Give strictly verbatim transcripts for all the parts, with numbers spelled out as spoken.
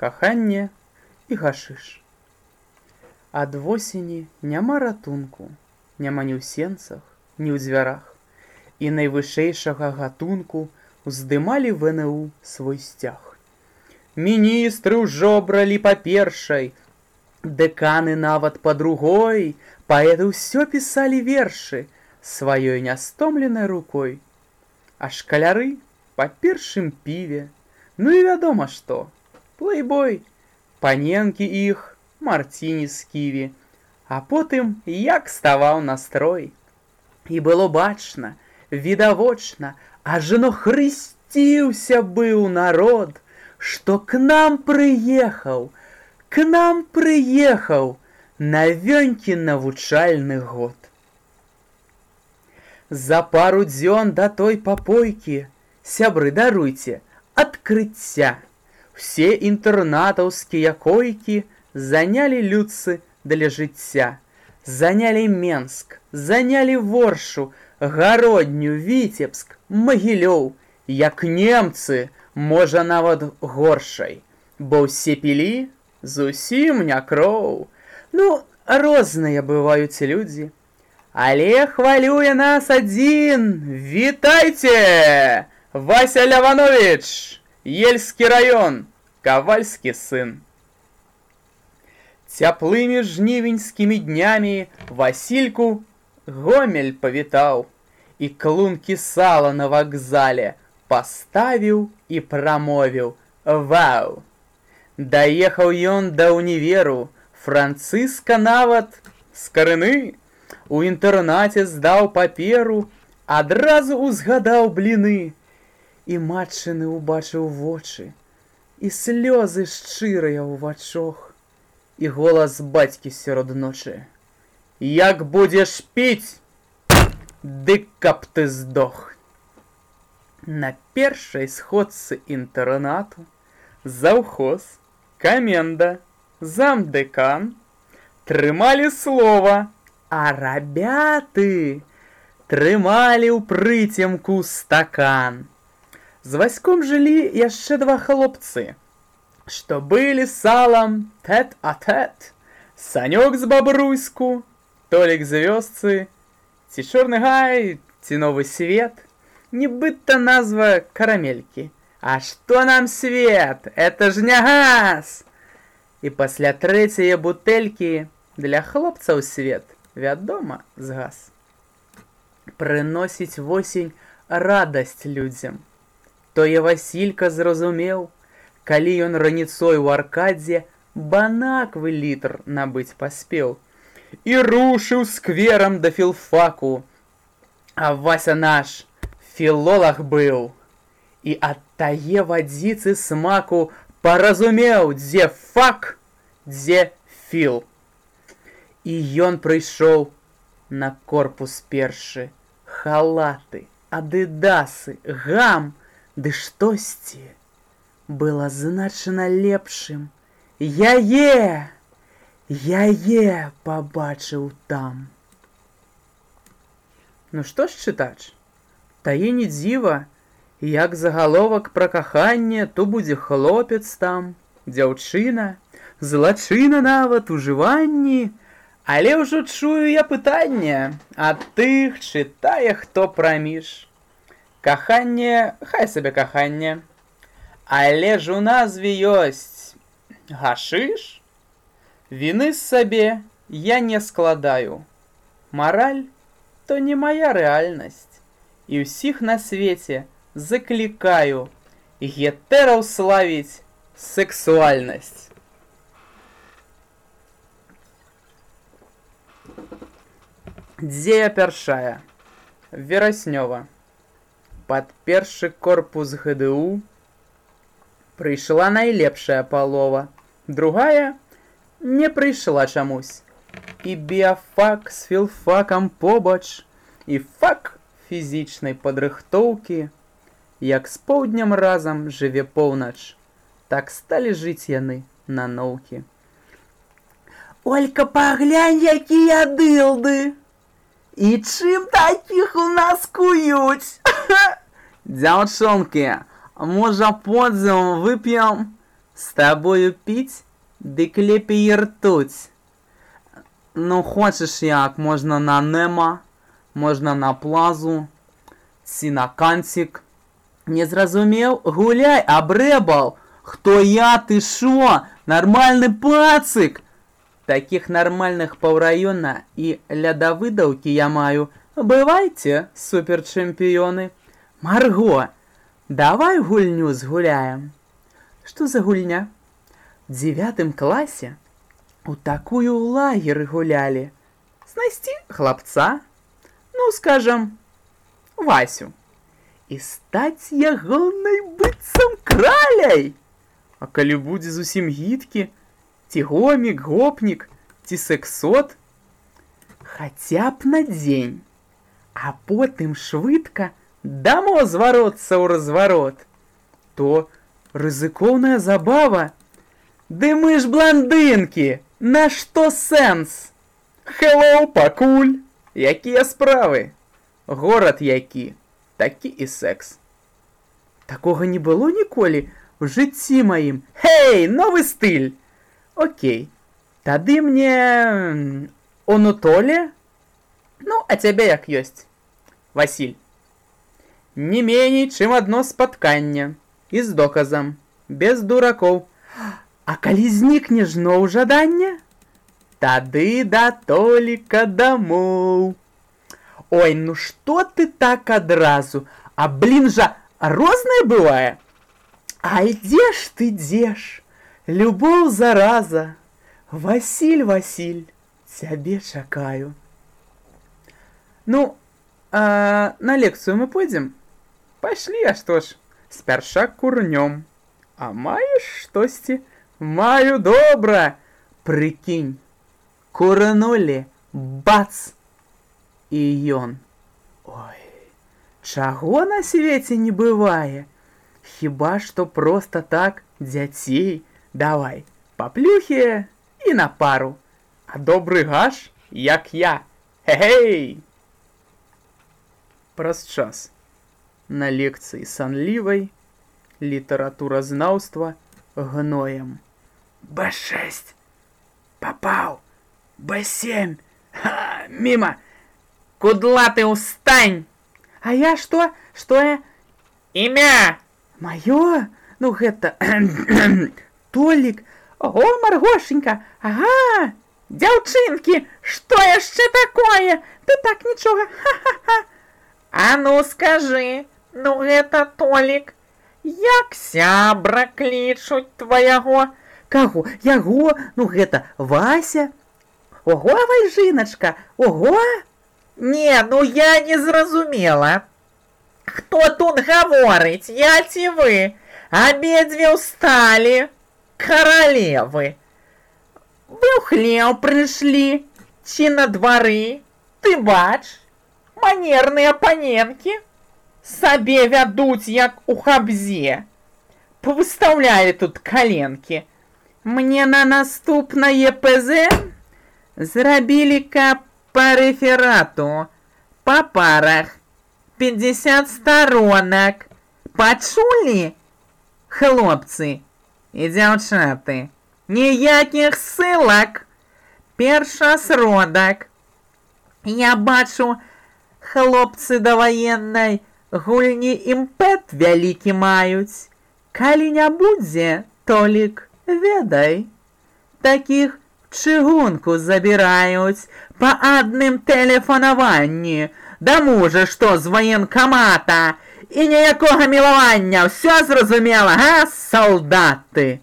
каханне і гашыш. Ад восені няма ратунку, няма ні ў сенцах, ні ў дзвярах, і найвышэйшага гатунку уздымалі вэ эн у свой сцяг. Міністры ўжо бралі па першай, дэканы нават па другой, паэты ўсё пісалі вершы сваёй нястомленай рукой, а шкаляры па першым піве, ну і вядома што, плейбой, паненкі іх, марціні з ківі, а потым як ставаў настрой. І было бачна, відавочна, ажно хрысціўся быў народ, што к нам прыехаў, к нам прыехаў навёнькі навучальны год. За пару дзён да той папойкі, сябры, даруйце, адкрыцця, усе інтэрнатаўскія койкі занялі людцы для жыцця, занялі Менск, занялі Воршу, Гародню, Віцебск, Магілёў, як немцы, можа нават горшай, бо ўсе пілі зусім не кроў. Ну, розныя бываюць людзі, але хвалюе нас адзін. Вітайце! Вася Ляванович, Ельскі раён, кавальскі сын. Цяплымі жнівеньскімі днямі Васільку Гомель павітаў і клункі сала на вакзале паставіў і прамовіў: вау! Даехаў ён да ўніверу, Францыска нават з карыны, у інтэрнаце здаў паперу, адразу узгадаў бліны, і матчыны ўбачыў вочы, і слёзы шчырыя ў вачох, і голас бацькі сярод ночы: як будзеш піць, дык каб ты здох. На першай сходцы інтэрнату заўхоз, каменда, замдэкан трымалі слова, а рабяты трымалі ў прыцемку стакан. З Васьком жылі яшчэ два хлопцы, што былі салам тэт-а-тэт. Санёк з Бабруйску, Толік з вёсцы, ці Чорны гай, ці Новы свет. Нібыта назва карамелькі. А што нам свет? Это ж не газ! І пасля трэцяе бутэлькі для хлопцаў свет, вядома, згас. Прыносіць восень радасць людзям. Тое Васілька зразумеў, калі ён раніцой у аркадзе банаквы літр набыць паспеў і рушыў скверам да філфаку. А Вася наш філолаг быў і ад тае вадзіцы смаку паразумеў, дзе фак, дзе філ. І ён прыйшоў на корпус першы, халаты, адыдасы, гам, ды штосьці было значна лепшым. Яе, яе пабачыў там. Ну што ж, чытач, тае не дзіва, як загаловак пра каханне, то будзе хлопец там, дзяўчына, злачына нават, ужыванні. Але ўжо чую я пытанне ад тых, чытае хто праміж. Каханне, хай сабе каханне, але ж у назве ёсць гашыш. Віны сабе я не складаю. Мараль то не моя рэальнасць. І ўсіх на свеце заклікаю гетэраў славіць сексуальнасць. Дзея першая. Вераснёва. Пад першы корпус гэ дэ у прыйшла найлепшая палова, другая не прыйшла чамусь. І біяфак з філфакам побач, і фак фізічнай падрыхтоўкі. Як з поўднем разам жыве поўнач, так сталі жыць яны на ноўкі. Олька, паглянь, якія дылды! І чым такіх у нас куюць? Дзяўчонкі, можа подзем вып'ем? С тобою пить, дык лепей ртуть. Ну, хочеш як, можна на нема, можна на плазу, ці на канцік. Не зразумеў? Гуляй, абрэбал! Хто я, ты шо? Нормальны пацык! Таких нормальных паўраёна і лядавыдаўкі я маю. Бывайце, суперчэмпіёны. Марго, давай гульню згуляем. Што за гульня? В дзевятым класе у такую лагеры гулялі. Знайсці хлапца, ну, скажам, Васю. І стаць ягонай быццам краляй. А калі будзе зусім гідкі, ці гомік, гопнік, ці сексот, хаця б на дзень, а потым швыдка дамо звароцца ў разварот, то рызыкоўная забава. Ды мы ж бландынкі, на што сэнс? Хеллоу, пакуль, якія справы? Горад які, такі і секс. Такога не было ніколі в жыцці маім. Хей, новы стыль! Окей, тады мне Онутоле? Ну, а цябе як ёсць? Васіль. Не меней, чым адно спатканне. І з доказам. Без дуракоў. А калі знікне зноў жаданне? Тады да Толіка дамоў. Ой, ну што ты так адразу? А блін жа, рознае бывае? Ай, дзе ж ты, дзе ж? Любоў зараза. Васіль, Васіль, цябе чакаю. Ну, а на лекцыю мы пойдзем? Пайшлі, а што ж, спярша курнём. А маеш штосьці? Маю добра. Прыкінь, курнулі, бац, і ён. Ой, чаго на свеце не бывае? Хіба што проста так дзяцей. Давай, паплюхе і на пару. А добры гаш, як я. Хе-хей! Праз час. На лекцыі санлівай, літаратуразнаўства гноем. бэ шэсць. Папаў. бэ сем. Ха, міма. Кудлаты, устань. А я што? Што я? Імя. Маё? Ну гэта... Толік. Ого, Маргошенька. Ага. Дзяўчынкі, што яшчэ такое? Ты так нічога. Ха-ха-ха. А ну скажы, ну гэта Толік. Як сябра клічуць тваяго? Каго? Яго? Ну гэта Вася? Ого, Вальжыначка, ого? Не, ну я не зразумела. Хто тут гаворыць, я ці вы? Абедзве ўсталі. Каралевы. Вы ў хлеў прыйшлі, ці на двары? Ты бач, манерныя паненкі сабе вядуць, як у хабзе. Павыстаўлялі тут каленкі. Мне на наступнае ПЗ зрабілі, каб па рэферату, па парах, пятьдесят сторонак. Пачулі, хлопцы і дзяўчаты? Ніякіх ссылак. Першасродак. Я бачу, хлопцы да ваеннай гульні імпэт вялікі маюць. Калі не будзе, Толік, ведай. Такіх чыгунку забіраюць па адным тэлефанаванні. Да мужа, што з ваенкамата. І ніякога мілавання, ўсё зразумела, га, салдаты?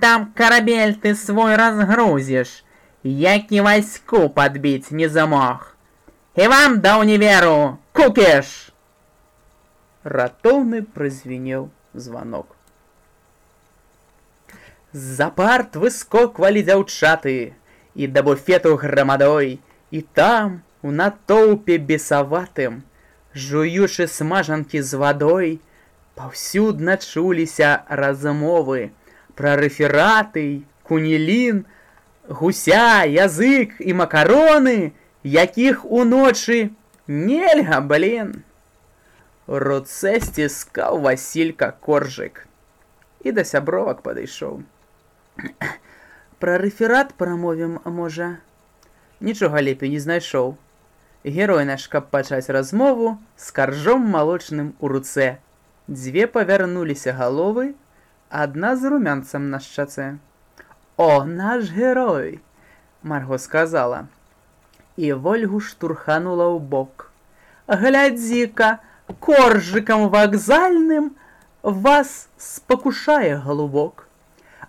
Там карабель ты свой разгрузіш, які вайску падбіць не замог. І вам да універу, кукеш! Ратоўны празвінеў званок. З-за парт выскоквалі дзяўчаты, і да буфету грамадой, і там, у натоўпе бесаватым, жуючы смажанкі з вадой, паўсюдна чуліся размовы пра рэфераты, кунілін, гуся, язык і макароны, якіх уночы нельга, блін. У руцэ сціскаў Васілька коржык. і да сябровак падышоў. Пра рэферат прамовім, можа? Нічога лепей не знайшоў. Герой наш, каб пачаць размову, з каржом малочным у руцэ. Дзве павярнуліся галовы, адна з румянцам на шчацэ. «О, наш герой!» Марго сказала. І Вольгу штурханула ў бок. «Глядзі-ка, коржыкам вакзальным вас спакушае галубок».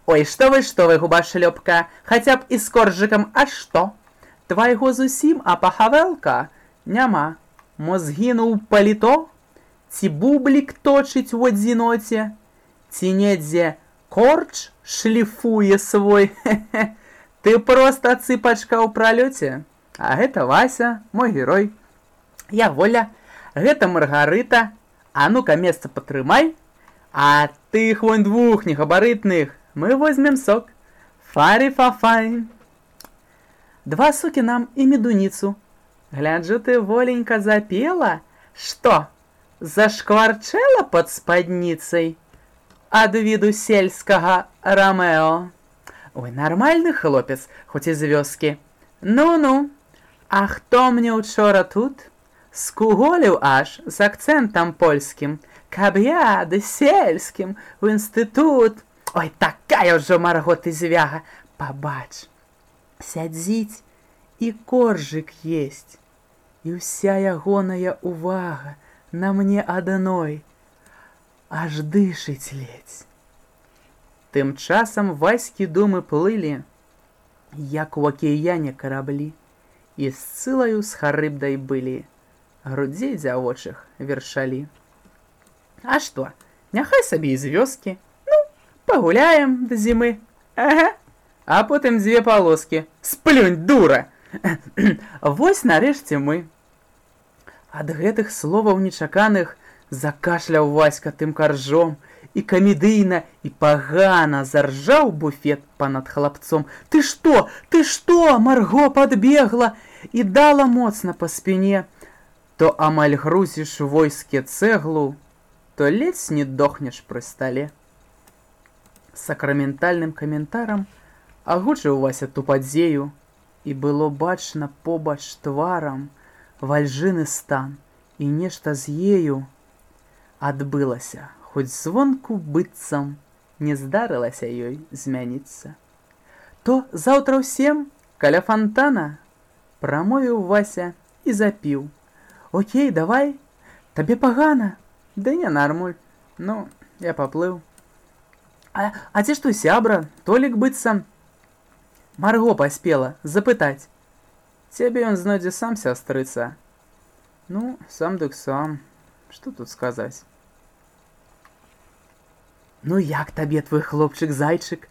«Ой, што вы, што вы, губашлёпка, хаця б і з коржыкам, а што? Твайго зусім, а пахавэлка няма. Мо згінуў паліто? Ці бублік точыць у адзіноце? Ці недзе корч шліфуе свой? Хе-хе. Ты проста цыпачка ў пралёце. А гэта Вася, мой герой. Я Воля, гэта Маргарыта. А ну-ка месца патрымай. А тых вон двух негабарытных мы возьмем сок. Фарі-фа-фай. Два сокі нам і медуніцу. Гляджу, ты, Воленька, запела? Што, зашкварчэла пад спадніцай ад віду сельскага Рамео? Ой, нармальны хлопец, хоць і з вёскі. Ну-ну, а хто мне учора тут скуголіў аж з акцэнтам польскім, каб я ды сельскім у інстытут. Ой, такая ўжо, Марго, ты звяга. Пабач, сядзіць і коржык есть, і ўся ягоная увага на мне адной аж дышыць ледзь. Тым часам Ваські думы плылі, як у акіяне караблі, і з цылаю з харыбдай былі, грудзей дзявочых вершалі. А што, няхай сабе і з вёскі, ну, пагуляем да зімы, ага, а потым дзве палоскі, сплюнь, дура! Вось нарэшце мы. Ад гэтых словаў нечаканых закашляў Васька тым каржом, і камедыйна, і пагана заржаў буфет панад хлапцом. Ты што, ты што? Марго падбегла і дала моцна па спіне. То амаль грузіш войске цэглу, то ледзь не дохнеш пры стале. Сакраментальным каментарам агучыў Вася ту падзею, і было бачна побач тварам вальжыны стан, і нешта з ею адбылася, хоць звонку быццам не здарылася ёй змяніцца. То заўтра ўсем каля фантана прамовіў Вася і запіў. Окей, давай, табе пагана? Да не нармуль, ну, я паплыў. А, а ці што сябра, Толік быццам? Марго паспела запытаць. Цябе ён знойдзе сам, сястрыца. Ну, сам дык сам, што тут сказаць? Ну як табе твой хлопчык-зайчык?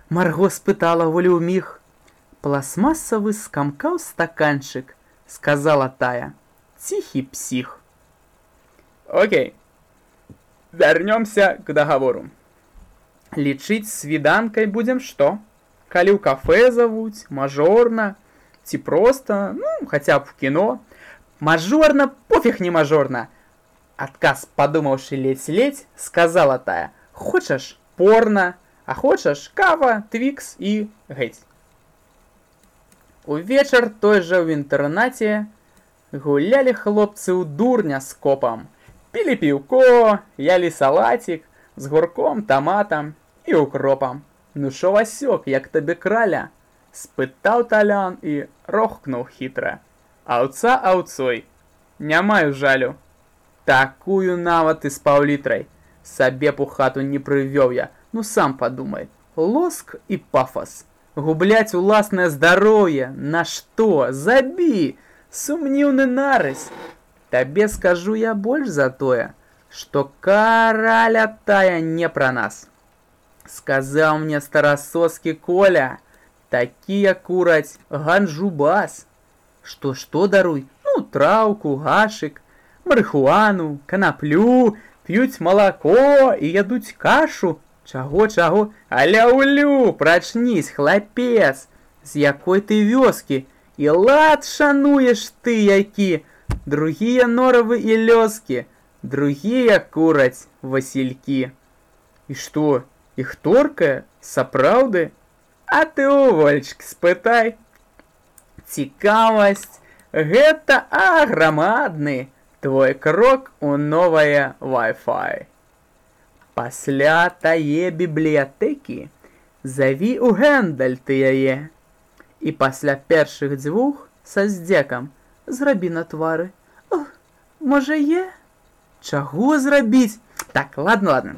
Марго спытала Волю ўміг. Пластмасавы скамкаў стаканчык, сказала тая. Ціхі псіх. Окей, вярнёмся к договору. Лічыць свіданкай будзем што? Калі ў кафе завуць, мажорна, ці проста, ну, хаця б в кіно. Мажорна, пофіг не мажорна. Адказ, падумаўшы ледзь-ледзь, сказала тая. Хочаш порна, а хочаш кава, твікс і геть. Увечар той жа ў інтэрнаце гулялі хлопцы ў дурня з копам. Пілі піўко, ялі салатик з гурком, таматам і укропам. Ну шо, Васёк, як табе краля? Спытаў Талян і рохкнуў хітра. Аўца аўцой, не маю жалю. Такую нават і з паўлітрай. Сабе б у хату не прывёў я, ну сам падумай. Лоск і пафас. Губляць уласнае здароўе, на што? Забі! Сумніўны нарыс. Табе скажу я больш за тое, што караля тая не пра нас. Сказаў мне старасоскі Коля, такія кураць ганджубас. Што-што даруй? Ну, траўку, гашык, марыхуану, канаплю, п'юць малако і ядуць кашу. Чаго-чаго? Аля-улю, прачнісь, хлапец, з якой ты вёскі? І лад шануеш ты які? Другія норавы і лёскі, другія кураць васількі. І што? Іх торкае, сапраўды? А ты ў Волечкі спытай. Цікавасць – гэта аграмадны твой крок у новае Wi-Fi. Пасля тае бібліятэкі заві ў гэндаль ты яе. І пасля першых дзвюх са здзекам зрабі на твары. О, можа е? Чаго зрабіць? Так, ладно, ладно.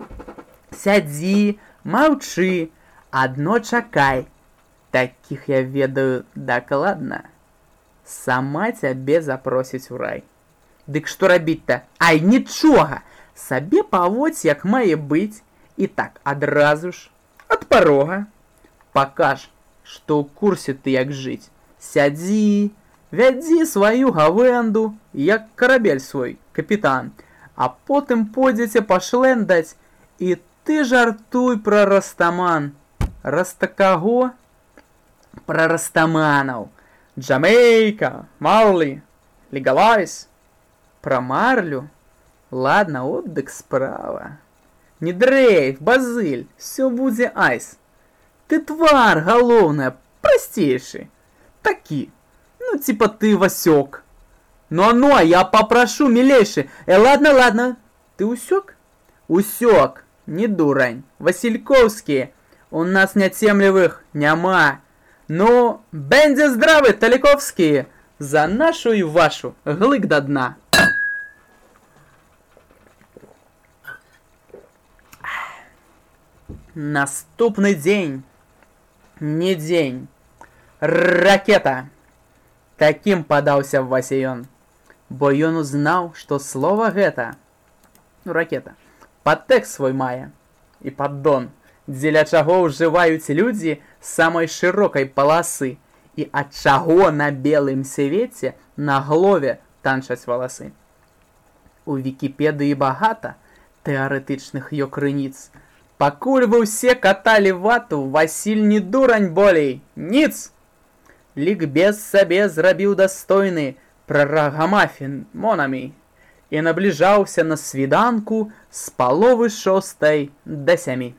Сядзі, маўчы, адно чакай. Такіх я ведаю дакладна. Сама цябе запросіць у рай. Дык што рабіць-то? Ай, нічога! Сабе паводзь, як мае быць. І так, адразу ж, ад парога. Пакаж, што ў курсе ты як жыць. Сядзі, вядзі сваю гавэнду, як карабель свой, капітан. А потым пойдзеце пашлэндаць, і ты жартуй пра Растаман. Растакаго? Пра растаманаў. Джамейка, Марлі, Легалайз. Пра Марлю? Ладно, отдык справа. Не дрейф, Базыль, все будзе айс. Ты твар, галоўнае, прасцейшы. Такі, ну типа ты Васёк. Ну, ну, а я попрошу, милейший. Э, ладно, ладно. Ты усёк? Усёк, не дурань. Васильковские. У нас нятемлевых няма. Ну, бендзе здравы, Таликовские. За нашу и вашу. Глык до дна. Наступны дзень. Не дзень. Ракета. Таким падаўся Васіён. Бо ён узнаў, што слова гэта, ну, ракета, падтэкст свой мае і паддон, дзеля чаго ўжываюць людзі самай шырокай паласы і ад чаго на белым свеце на галове танчаць валасы. У Вікіпедыі багата тэарэтычных ё крыніц. Пакуль вы ўсе каталі вату, Васіль не дурань болей, ніц! Лікбез сабе зрабіў дастойны пра рагамафін монамі і набліжаўся на свіданку з паловы шостай да сямі.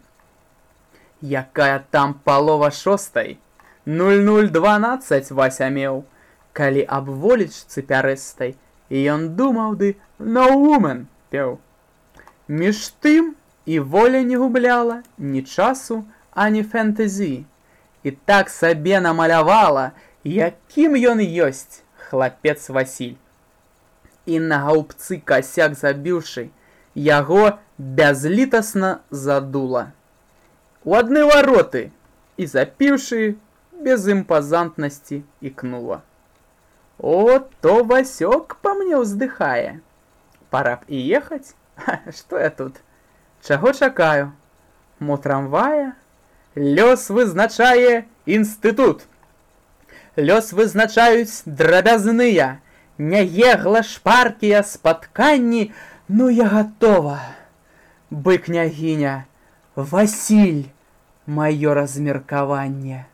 Якая там палова шостай? нуль нуль дванаццаць Вася меў, калі аб волечцы пярэстай, і ён думаў ды «No woman» пеў. Між тым і воля не губляла ні часу, ані фэнтэзі. І так сабе намалявала, якім ён ёсць, хлапец Васіль. І на гаўбцы касяк забіўшы, яго бязлітасна задула. У адны вароты і запіўшы, без імпазантнасці ікнула. О, то Васёк па мне ўздыхае. Пора б і ехаць? Што я тут? Чаго чакаю? Мо трамвая? Лёс вызначае інстытут. Лёс вызначаюць драбязныя, няегла шпаркія спатканні, ну я гатова. Бы княгіня, Васіль, маё размеркаванне.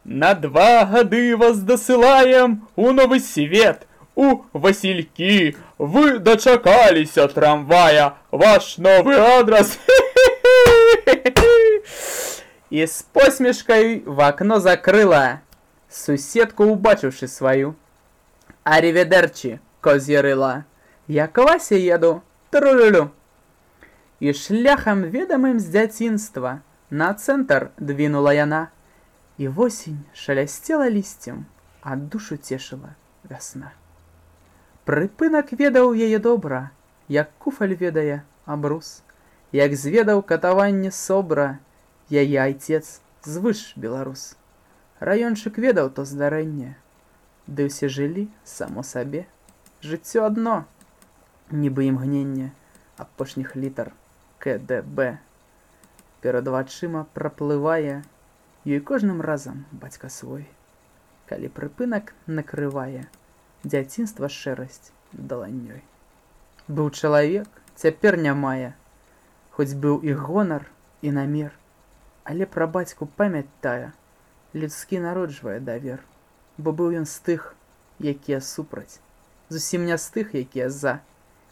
На два гады вас дасылаем у новы свет, у Васількі. Вы дачакаліся трамвая, ваш новы адрас. І з посмешкой в окно закрыла, суседку убачивши свою. Аріведерчі, коз'ярила, я к Васе еду, тру-лю-лю. І шляхам ведомым з дзяцінства на цэнтр двинула яна. І восень шалясцела лісцем, а душу цешыла вясна. Прыпынак ведаў яе добра, як куфаль ведае абрус, як зведаў катаванне собра, яе айцец звыш беларус. Раёнчык ведаў то здарэнне, ды ўсе жылі само сабе. Жыццё адно, нібы імгненне апошніх літар ка дэ бэ. Перад вачыма праплывае ёй кожным разам бацька свой. Калі прыпынак накрывае дзяцінства шэрасць даланнёй. Быў чалавек, цяпер не мае, хоць быў і гонар, і намер, але пра бацьку памяць тая людскі народжвае давер, бо быў ён з тых, якія супраць, зусім не з тых, якія за.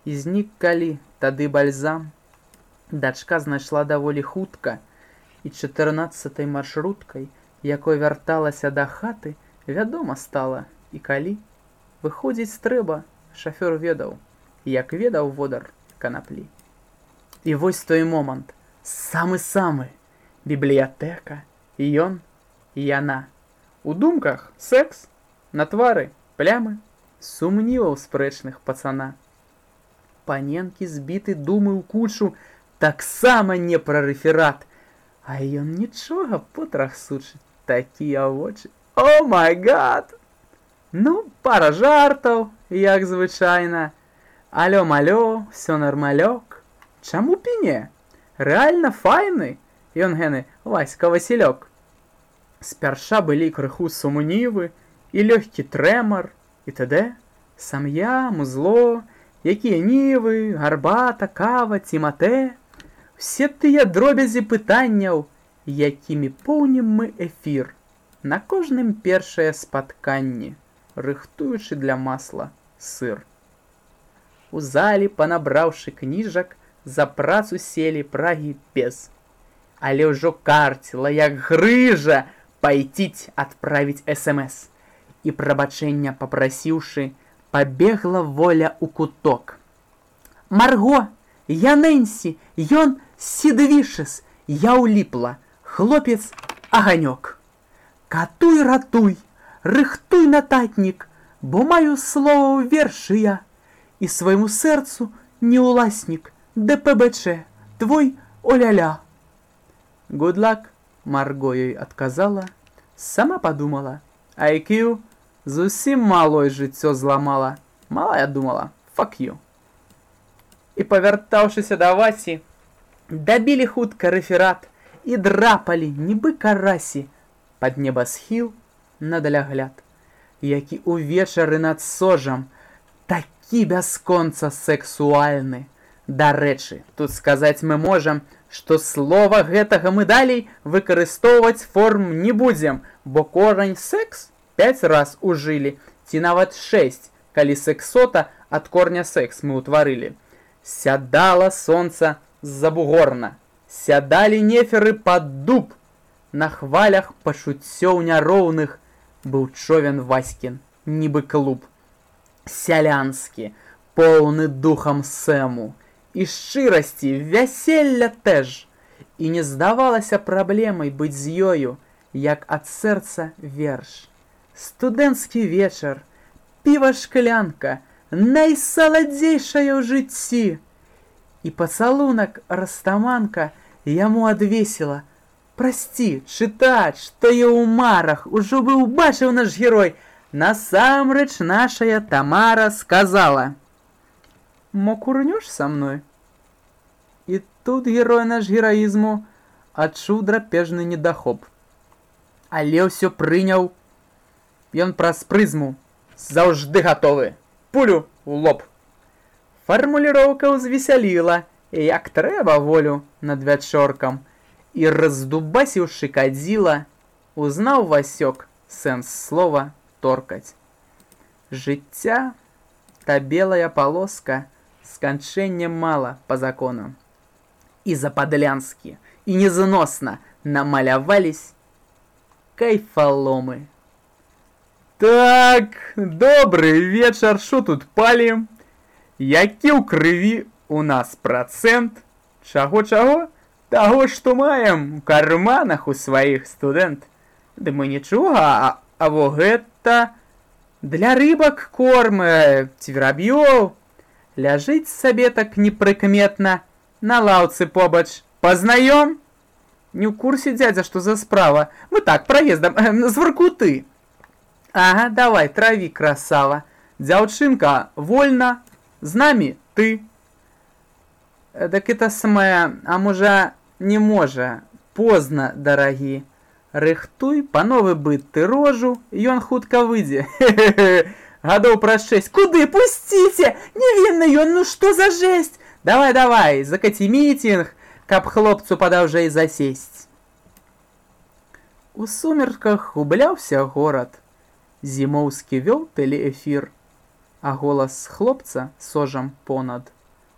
І знік калі тады бальзам. Дачка знайшла даволі хутка, і чатырнаццатай маршруткай, якой вярталася да хаты, вядома стала, і калі выходзіць трэба, шафёр ведаў, як ведаў водар канаплі. І вось той момант, самы-самы, бібліятэка, ён і яна. У думках секс, на твары плямы, сумніваў спрэчных пацана. Паненкі збіты думы ў кучу, таксама не пра рэферат, а ён нічога потрахсучы, такія вочы. О май гад! Ну, пара жартаў, як звычайна. Алё-малё, всё нармалёк. Чаму піне? Рэальна файны, ён гены Васька Васілёк. Спярша былі крыху сумнівы і лёгкі трэмар, і т.д. Сам'я, музло, якія нівы, гарбата, кава ці матэ. Все тыя дробязі пытанняў, якімі поўнім мы эфір. На кожным першае спатканне, рыхтуючы для масла сыр. У залі, панабраўшы кніжак, за працу селі прагі без. Але ўжо карціла, як грыжа, пайціць адправіць эс эм эс. І прабачэння папрасіўшы, пабегла воля ў куток. Марго, я Нэнсі, ён Сідвішэс, я ўліпла, хлопец аганёк. Катуй, ратуй, рыхтуй нататнік, бо маю слова ў вершы я, і свайму сэрцу не ўласнік, дэ пэ бэ чэ, твой оля-ля. Good luck, Марго ёй адказала, сама падумала, ай кью зусім малой жыццё зламала. Малая думала, fuck you. І павяртаўшыся да Васі, дабілі хутка рэферат і драпалі, нібы карасі, пад небасхіл на далягляд, які ўвечары над сожам, такі бясконца сексуальны. Дарэчы, тут сказаць мы можам, што слова гэтага мы далей выкарыстоўваць форм не будзем, бо корань секс пяць раз ужылі, ці нават шэсць, калі сексота ад корня секс мы ўтварылі. Сядала сонца з-за бугорна, сядалі неферы пад дуб, на хвалях пачуццёў няроўных быў човен Васькін, нібы клуб. Сялянскі, поўны духам сэму, і шчырасці, вяселля тэж. І не здавалася праблемай быць з ёю, як ад сэрца верш. Студэнцкі вечар, піва-шклянка, найсаладзейшая ў жыцці. І пацалунак растаманка яму адвесіла. Прасці, чытач, што я ў марах, ужо бы ўбачыў наш герой. Насамрэч нашая Тамара сказала: мо курнёш са мной? І тут герой наш гераізму адчуў драпежны недахоп. Але ўсё прыняў. Ён праз прызму заўжды гатовы. Пулю ў лоб. Фармуліроўка ўзвесяліла, як трэба волю над вячоркам. І раздубасіўшы кадзіла, узнаў Васёк сэнс слова торкаць. Жыцця та белая полоска, сканчэння мала па закону. І западлянскі, і незносна намалявались кайфаломы. Так, добрый вечар, шо тут палім? Які ў крыві у нас працэнт? Чаго-чаго? Таго, што маем у карманах у сваіх, студэнт. Ды мы нічога, а, а во гэта для рыбак корм, ці вераб'ёў. Ляжыць сабе так непрыкметна на лаўцы побач. Пазнаём? Не ў курсе, дзядзя, што за справа. Мы так, праездам, з Воркуты. Ага, давай, траві, красава. Дзяўчынка, вольна, з намі ты. Так это самае, а можа, не можа, позна, дарагі. Рыхтуй, пановы быт ты рожу, ён хутка выйдзе. Гадоў праз шэсць. Куды? Пусціце! Невінны ён, ну што за жесть? Давай, давай, закаці мітінг, каб хлопцу падаўжэй засесць. У сумерках губляўся горад. Зімоўскі вёў тэлеэфір, а голас хлопца сожам понад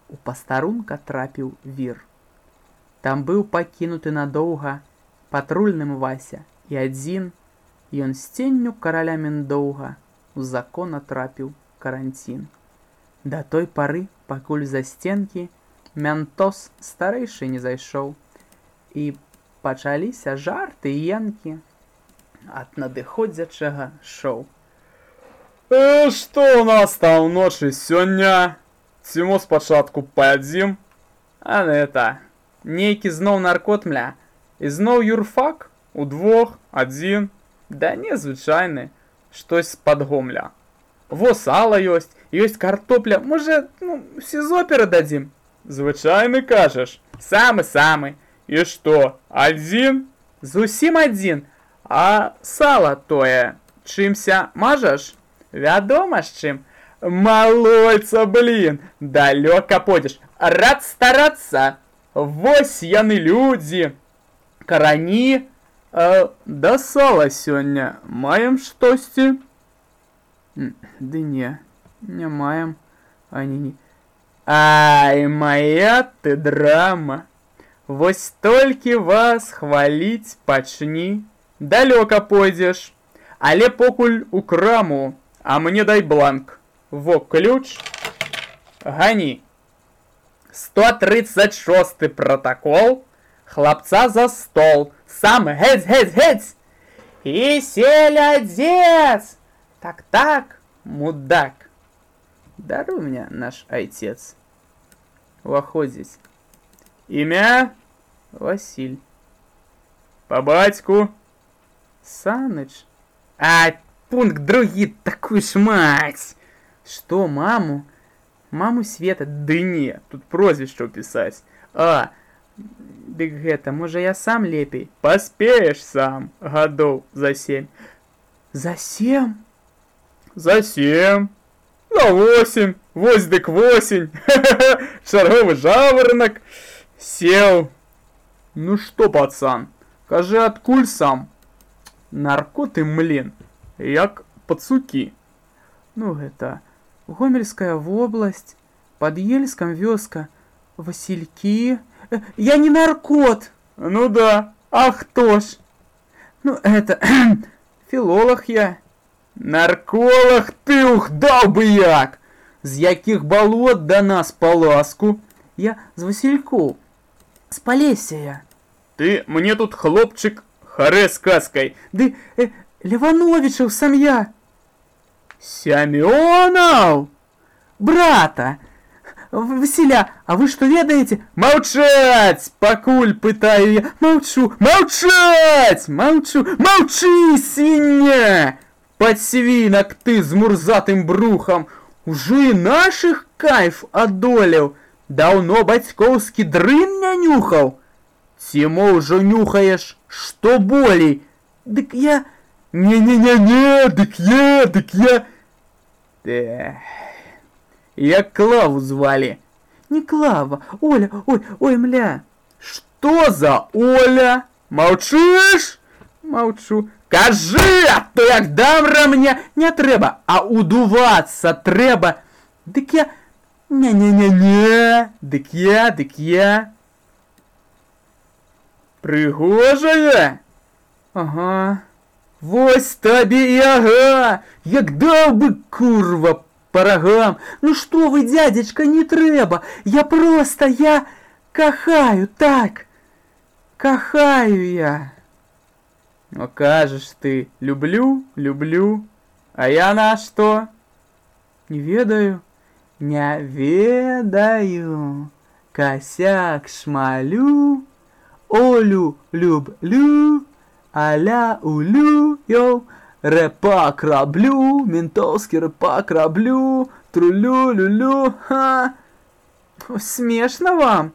у пастарунка трапіў вір. Там быў пакінуты надоўга патрульным Вася, і адзін ён з ценню караля Міндоўга у закон атрапіў каранцін. Да той пары, пакуль за стенкі мянтос старэйшы не зайшоў, і пачаліся жарты і янкі ад надыходзячага шоу. Э, што ў нас там ночы сёння? Ці мо спачатку паядзім? А гэта, нейкі зноў наркот, мля, і зноў юрфак? Удвох, адзін? Да не, звычайны, штось з-пад гомля. Во сала ёсць, ёсць картопля, можа, ну, сізо перададзім? Звычайны кажаш? Самы-самы. І што, адзін? Зусім адзін. А сала тое, чымся мажаш? Вядома з чым. Малойца, блін, далёка пойдзеш. Рад старацца. Вось яны людзі. Карані. А да сала сёння маем штосьці? Ды не, не маем. Ані не. Ай, моя ты драма. Вось толькі вас хваліць пачні, далёка пойдзеш. Але покуль у краму, а мне дай бланк. Во ключ. Гані. сто тридцать шосты протокол. Хлапца за стол. Сам геть, геть, геть. И селядец. Так-так, мудак. Даруй мне, наш отец. Уваходзіць. Імя? Василь. По батьку? Саныч. А, пункт другі, такую ж мать. Что, маму? Маму Света? Ды не, тут прозвішча ўпісаць. А, дык гэта, можа я сам лепей? Паспееш сам, гадоў за сем. За сем? За сем. За восемь. Вось дык восень. Чарговы жаворонок. Сел. Ну што, пацан, кажы, адкуль сам? Наркоты, млін, як пацукі. Ну гэта, Гомельская вобласць, под Ельском вёска, Васильки. Э, я не наркот. Ну да, а хто ж? Ну это, филолог я. Нарколог ты, ух, даў бы як! З якіх балот да нас па ласку? Я з Василькоў, з Полесья. Ты мне тут, хлопчык, харе з казкай. Ды, э, Левановичаў сям'я. Сямёнаў? Брата. Василя, а вы что ведаете? Маўчаць, пакуль пытаю я. Молчу. Маўчаць! Маўчу. Маўчы, свіння! Подсвинок ты з мурзатым брухом. Уже и наших кайф одолел. Давно бацькоўскі дрын не нюхал. Ці мо ўжо нюхаешь, что болей? Дык я... Не-не-не-не, дык я, дык я... Да... Як Клаву звали. Не Клава, Оля, ой, ой, мля. Что за Оля? Маўчыш? Маўчу. Кажы, а то як дам рамня, не трэба, а удувацца трэба. Дык я... Не-не-не-не, дык я, дык я... Прыгожая? Ага. Вось табе і ага. Як даў бы, курва, по рогам. Ну что вы, дядечка, не трэба. Я просто, я кахаю, так. Кахаю я. Ну, кажешь ты, люблю, люблю. А я на что? Не ведаю. Не ведаю. Косяк шмалю. Олю люблю. Аля улю, йоу. Рэпак раблю, ментовский рэпак раблю, трулю-люлю, ха. Смешно вам?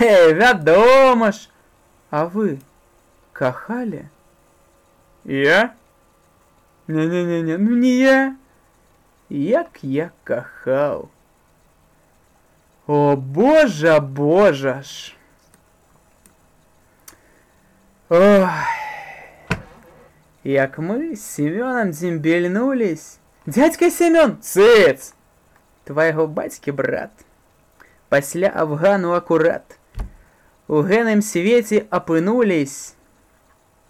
Эй, вядома ж. А вы кахали? Я? Не-не-не-не, ну не я. Як я кахал. О, боже, боже ж. Ой. Як мы с Семеном дзімбельнулись. Дядька Семен, цыц! Твоего батьки брат. Пасля Афгану аккурат. у гэным свеце апынулись,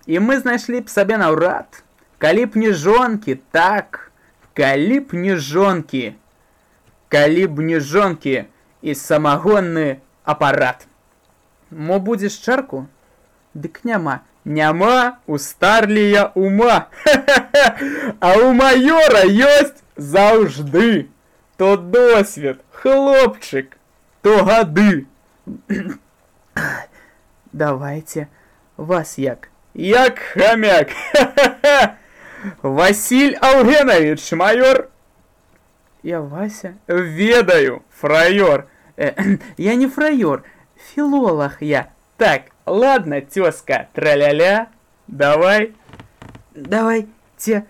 і мы знайшлі б сабе наўрад, калі б не жонкі, так, калі б не жонкі, калі б не жонкі і самагонны апарат. Мо будзеш чарку? Дык няма. Няма у старлія ума. А у майора ёсць заўжды. То досвед, хлопчык, то гады. Давайте, вас як? Як хамяк. Василь Аугенович, майор. Я Вася. Ведаю, фраёр. Э, я не фраёр, филолог я. Так, ладно, тёзка, траля-ля. Давай. Давай, те.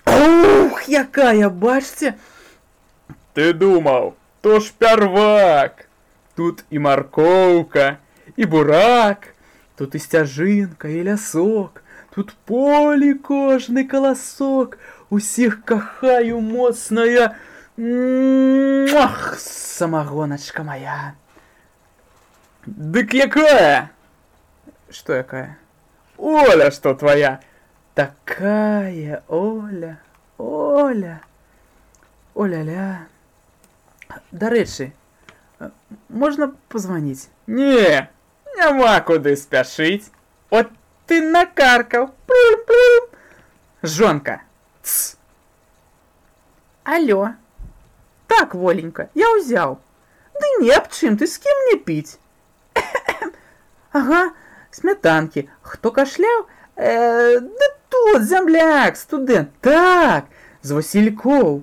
Ух, якая, бачце. Ты думал, то ж первак. Тут и морковка, и бурак. Тут и стяжинка, и лясок. Тут поле кожный колосок. Усіх кахаю моцная. Ах, самогоночка моя. Дык якая? Что якая? Оля, что твоя? Такая Оля, Оля, Оля-ля. Дарэчы, можна позвонить? Не, няма куды спяшыць. От ты накаркал. Жонка. Тс. Алло. Так, Воленька, я узял. Да не об чым, ты с кем мне пить? Ага, сметанки. Хто кашляў? Э, да тут, земляк, студент. Так, з Васильков.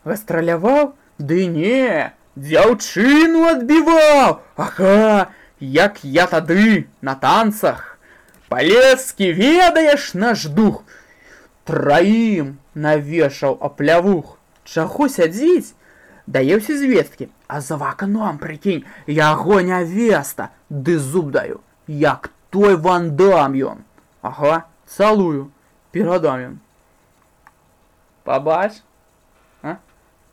Гастраляваў? Ды не, дзяўчыну адбіваў. Ага, як я тады на танцах. Палецкі, ведаеш наш дух. Траім навешаў аплявух. Чаго сядзіць? Даеўся звесткі. А за вакном, прикинь, яго нявеста. Ды зуб даю, як той Ван Дам ён. Ага, цалую, перадам ён. Пабач? А?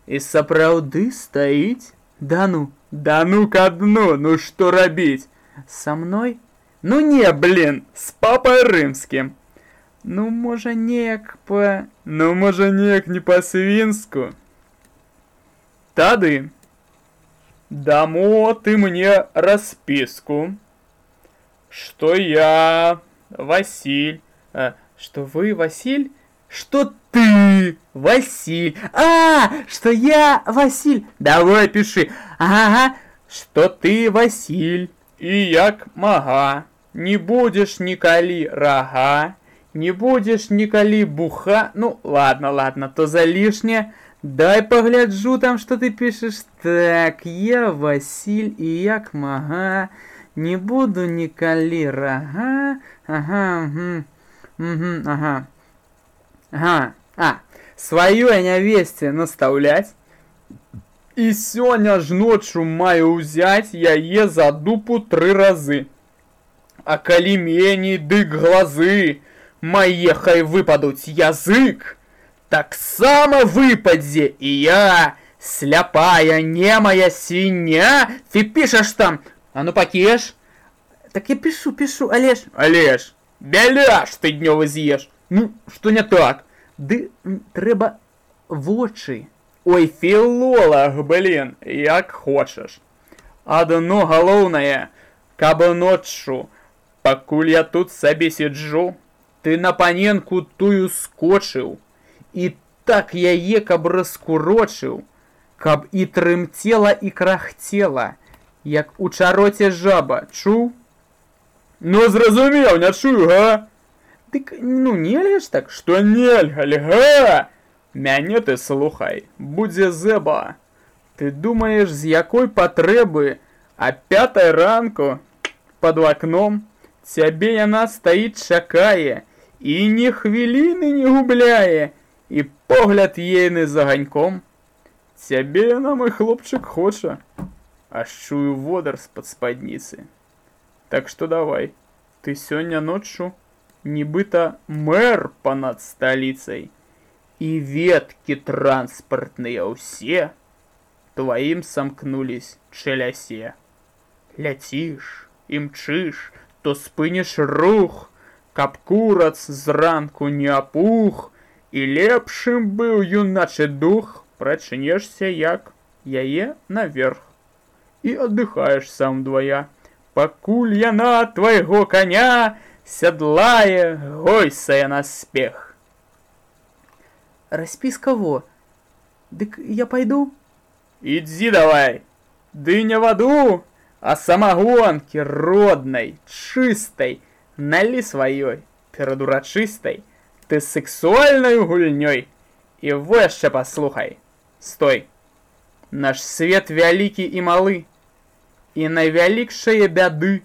І сапраўды стаіць? Да ну, да ну ка дну, ну што рабіць? Са мной? Ну не, блин, з папай рымскім. Ну, можа, неяк па... Ну, можа, неяк не па-свінску. Тады дамо ты мне расписку, что я Василь. А, что вы Василь? Что ты Василь? А, что я Василь. Давай пиши. Ага, что ты Василь. И як мага. Не будешь николи рога. Не будешь николи буха. Ну, ладно, ладно, то за лишнее. Дай погляджу там, что ты пишешь. Так, я Василь и як мага. Не буду николи рога. Ага, угу, угу, ага. Ага, а, свою я нявесте наставлять. И сёння ж ночью маю узять яе за дупу три разы. А калі меней, дык глазы мае хай выпадуць язык. Таксама выпадзе і я, сляпая немая свіння. Ты пішаш там, а ну пакеш. Так я пишу, пишу, Олеж. Олеж, бяляш ты днёвы з'еш. Ну, что не так? Ды трэба вочы. Ой, філолог, блин, як хочаш. Адно галоўнае, каб ноччу, пакуль я тут сабе сиджу, ты на паненку тую скочыў, і так яе каб раскурочыў, каб і трымцела і крахцела, як у чароце жаба, чуў? Ну, зразумеў, не чую, га? Дык, ну, нельга ж так? Што нельга, га? Мяне ты слухай, будзе зэба. Ты думаеш, з якой патрэбы, а пятай ранку пад акном цябе яна стаіць чакае і ні хвіліны не губляе, і погляд ейны за ганьком. Цябе яна, мой хлопчык, хоча, аж чую водар з-пад спадніцы. Так што давай, ты сёння ноччу нібыта мэр панад сталіцай, і веткі транспартныя ўсе твоим сомкнулись челясе. Ляціш, імчыш, то спыніш рух, каб курац зранку не апух, і лепшым быў юначы дух, прачнешся, як яе наверх, і аддыхаеш сам двая, пакуль яна твайго коня сядлае, гойсае на спех. Распіска во. Дык я пойду? Ідзі давай, ды не ваду, а самагонкі роднай, чыстай, налі сваёй, перад урачыстай, ты сексуальнаю гульнёй. І во яшчэ паслухай, стой, наш свет вялікі і малы, і найвялікшае бяды,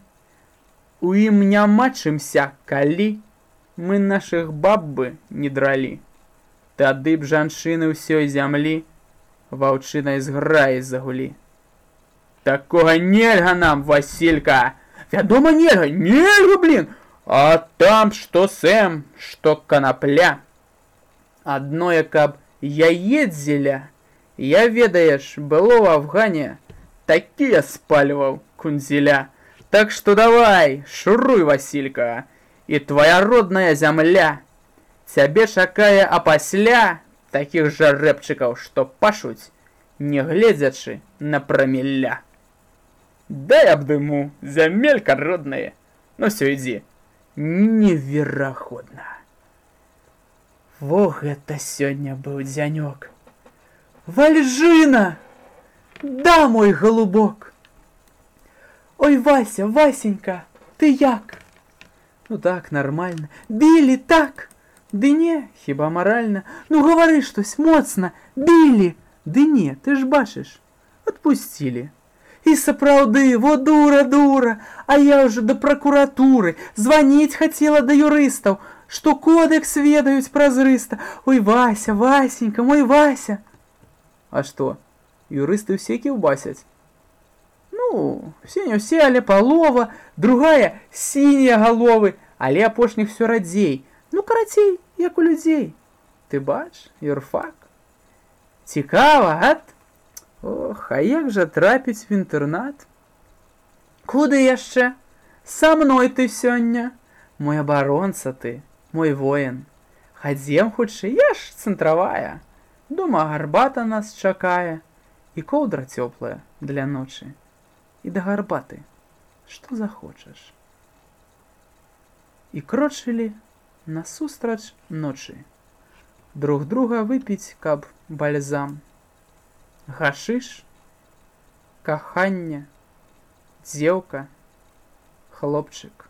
у ім няма чымся, калі мы нашых баб бы не дралі. Тады б жанчыны ўсёй зямлі ваўчынай зграі загулі. Такога нельга нам, Василька! Вядома, нельга, нельга, блин! А там што сэм, што канапля. Адное, каб яец зеля, я, ведаеш, было ў Афгане, такія спальваў кунзеля. Так што давай, шуруй, Василька, і твоя родная зямля цябе чакае, а пасля такіх жа рэпчыкаў, што пашуць, не гледзячы на прамілля. Дай абдыму, зямелька родная. Ну всё, ідзі. Неверагодна. Во гэта сёння быў дзянёк. Вальжына! Да, мой голубок! Ой, Вася, Васенька, ты як? Ну так, нормально. Білі, так? Ды не, хіба маральна? Ну гавары штось моцна, білі. Ды не, ты ж бачыш, адпусцілі. І сапраўды, во дура, дура, а я ўжо да пракуратуры, званіць хацела да юрыстаў, што кодэкс ведаюць празрыста. Ой, Вася, Васенька, мой Вася. А што, юрысты ўсе кіўбасяць? Ну, все не ўсе, але палова, другая сінія галовы, але апошніх всё радзей. Ну, карацей, як у людзей. Ты бач, юрфак. Цікава, гад? Ох, а як жа трапіць в інтэрнат? Куды яшчэ? Са мной ты сёння. Мой абаронца ты, мой воін. Хадзем хутчэй, я ж цэнтравая. Дома гарбата нас чакае. І коўдра цёплая для ночы. І да гарбаты, што захочаш. І крочылі насустрач ночы. Друг друга выпіць, каб бальзам. Гашыш, каханне, дзеўка, хлопчык.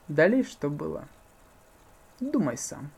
Далей што было? Думай сам.